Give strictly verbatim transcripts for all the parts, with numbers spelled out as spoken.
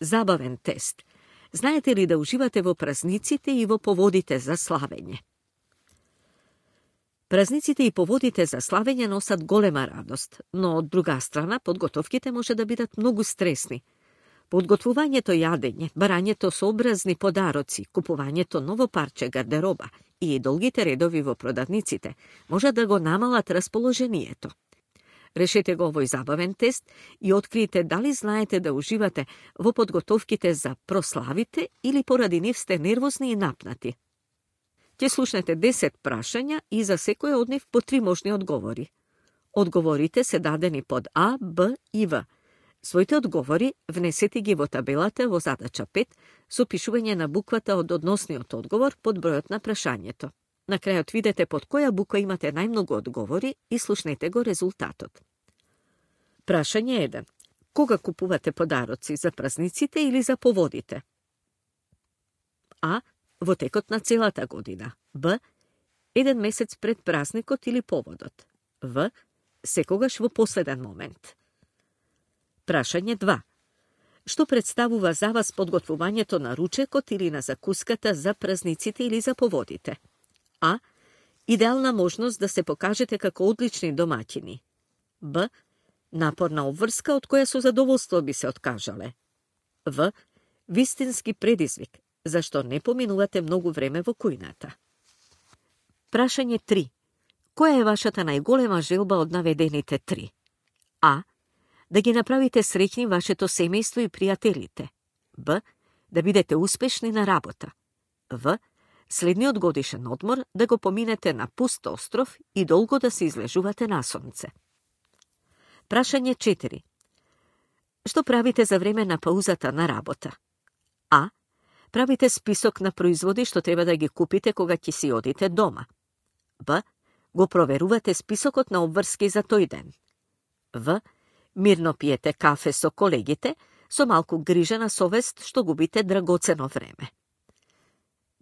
забавен тест. Знаете ли да уживате во празниците и во поводите за славење? Празниците и поводите за славење носат голема радост, но од друга страна подготовките може да бидат многу стресни. Подготвувањето јадење, барањето со образни подароци, купувањето ново парче гардероба и долгите редови во продавниците може да го намалат расположението. Решете го овој забавен тест и откриете дали знаете да уживате во подготовките за прославите или поради нив сте нервозни и напнати. Ќе слушнете десет прашања и за секој од нив по три можни одговори. Одговорите се дадени под А, Б и В. Своите одговори внесете ги во табелата во задача пет со пишување на буквата од односниот одговор под бројот на прашањето. На крајот видете под која буква имате најмногу одговори и слушнете го резултатот. Прашање еден. Кога купувате подароци, за празниците или за поводите? А. Во текот на целата година. Б. Еден месец пред празникот или поводот. В. Секогаш во последен момент. Прашање два. Што представува за вас подготвувањето на ручекот или на закуската за празниците или за поводите? А. Идеална можност да се покажете како одлични домаќини. Б. Напорна обврска од која со задоволство би се откажале. В. Вистински предизвик, зашто не поминувате многу време во кујната. Прашање три. Која е вашата најголема желба од наведените три? А. Да ги направите среќни вашето семејство и пријателите. Б. Да бидете успешни на работа. В. Следниот годишен одмор да го поминете на пуст остров и долго да се излежувате на сонце. Прашање четири. Што правите за време на паузата на работа? А. Правите список на производи што треба да ги купите кога ќе си одите дома. Б. Го проверувате списокот на обврски за тој ден. В. Мирно пиете кафе со колегите, со малку грижа на совест што губите драгоцено време.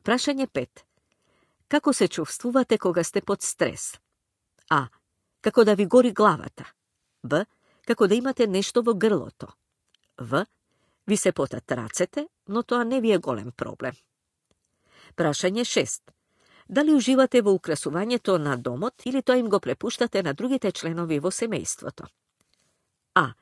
Прашање пет. Како се чувствувате кога сте под стрес? А. Како да ви гори главата. Б. Како да имате нешто во грлото. В. Ви се потат рацете, но тоа не ви е голем проблем. Прашање шест. Дали уживате во украсувањето на домот или тоа им го препуштате на другите членови во семејството? А.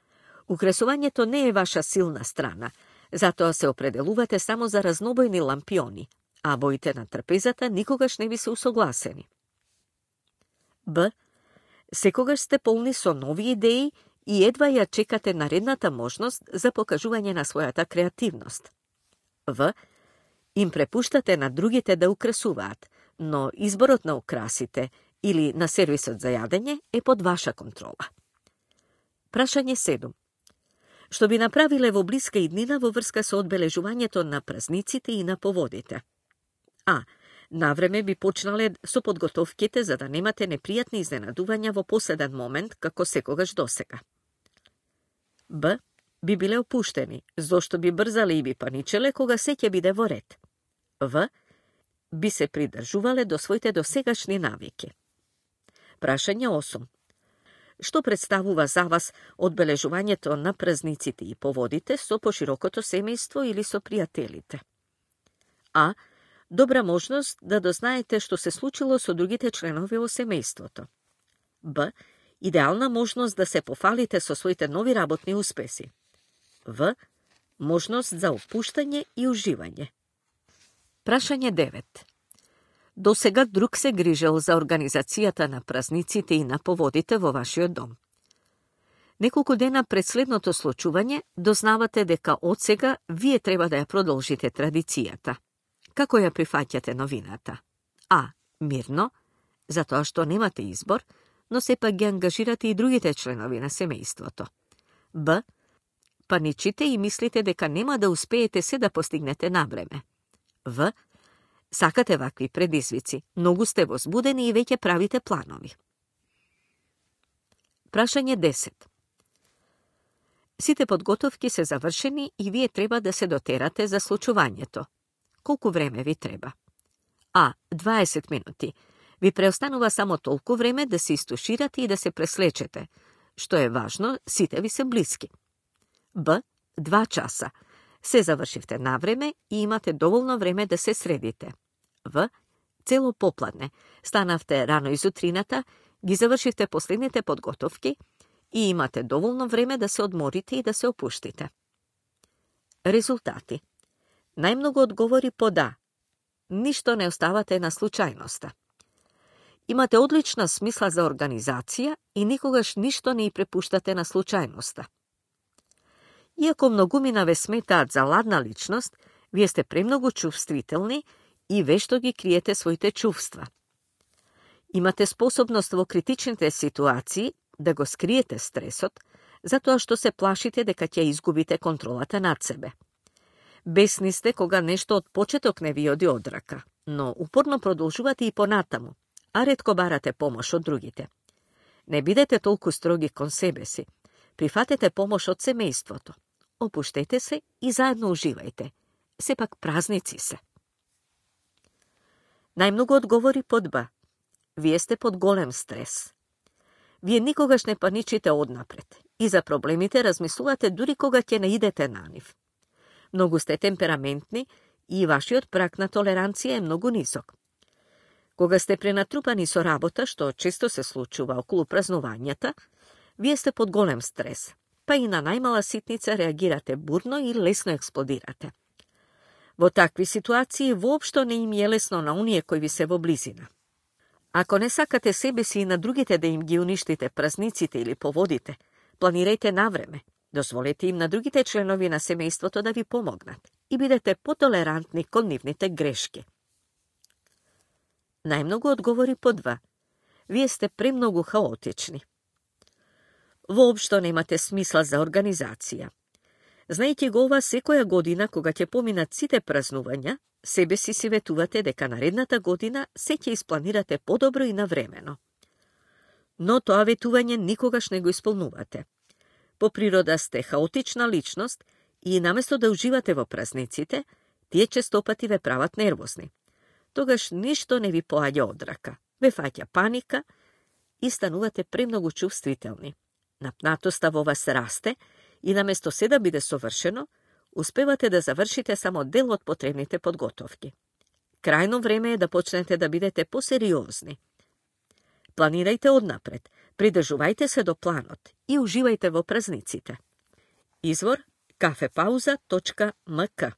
Украсувањето не е ваша силна страна, затоа се определувате само за разнобојни лампиони, а боите на трпезата никогаш не ви се усогласени. Б. Секогаш сте полни со нови идеи и едва ја чекате наредната можност за покажување на својата креативност. В. Им препуштате на другите да украсуваат, но изборот на украсите или на сервисот за јадење е под ваша контрола. Прашање седум. Што би направиле во блиска иднина во врска со одбележувањето на празниците и на поводите? А. Навреме би почнале со подготовките за да немате непријатни изненадувања во последен момент како секогаш досега. Б. Би биле опуштени, зошто би брзале и би паничеле кога се ќе биде во ред. В. Би се придржувале до своите досегашни навики. Прашање осум. Што представува за вас одбележувањето на празниците и поводите со поширокото семејство или со пријателите? А. Добра можност да дознаете што се случило со другите членови во семејството. Б. Идеална можност да се пофалите со своите нови работни успеси. В. Можност за опуштање и уживање. Прашање девет. До сега друг се грижел за организацијата на празниците и на поводите во вашиот дом. Неколку дена пред следното случување дознавате дека од сега вие треба да ја продолжите традицијата. Како ја прифаќате новината? А. Мирно, затоа што немате избор, но сепак ги ангажирате и другите членови на семејството. Б. Паничите и мислите дека нема да успеете се да постигнете на време. В. Сакате вакви предизвици, многу сте возбудени и веќе правите планови. Прашање десет. Сите подготовки се завршени и вие треба да се дотерате за случувањето. Колку време ви треба? А. дваесет минути. Ви преостанува само толку време да се истуширате и да се преслечете. Што е важно, сите ви се блиски. Б. два часа. Се завршивте на време и имате доволно време да се средите. В. Цело попладне. Станавте рано изутрината, ги завршивте последните подготовки и имате доволно време да се одморите и да се опуштите. Резултати. Најмногу одговори по да. Ништо не оставате на случајноста. Имате одлична смисла за организација и никогаш ништо не и препуштате на случајноста. Иако многумина ве сметаат за ладна личност, вие сте премногу чувствителни и вешто ги криете своите чувства. Имате способност во критичните ситуации да го скриете стресот, затоа што се плашите дека ќе изгубите контролата над себе. Бесни сте кога нешто од почеток не ви оди од рака, но упорно продолжувате и понатаму, а ретко барате помош од другите. Не бидете толку строги кон себе си. Прифатете помош од семејството. Опуштете се и заедно уживајте. Сепак празници се. Најмногу одговори под Б. Вие сте под голем стрес. Вие никогаш не паничите однапред и за проблемите размислувате дури кога ќе не идете на нив. Многу сте темпераментни и вашиот праг на толеранција е многу нисок. Кога сте пренатрупани со работа, што често се случува околу празнувањата, вие сте под голем стрес, па и на најмала ситница реагирате бурно и лесно експлодирате. Во такви ситуации воопшто не им е лесно на оние кои ви се во близина. Ако не сакате себе си и на другите да им ги уништите празниците или поводите, планирајте навреме, дозволете им на другите членови на семејството да ви помогнат и бидете потолерантни кон нивните грешки. Најмногу одговори по Два. Вие сте премногу хаотични. Воопшто немате смисла за организација. Знаејќи го ова, секоја година, кога ќе поминат сите празнувања, себе си си ветувате дека наредната година се ќе испланирате подобро и навремено. Но тоа ветување никогаш не го исполнувате. По природа сте хаотична личност и наместо да уживате во празниците, тие честопати ве прават нервозни. Тогаш ништо не ви поаѓа од рака, ве фаќа паника и станувате премногу чувствителни. Напнатоста во вас расте и наместо се да биде совршено, успевате да завршите само дел од потребните подготовки. Крајно време е да почнете да бидете посериозни. Планирајте однапред, придржувајте се до планот и уживајте во празниците. Извор кафепауза точка ем ка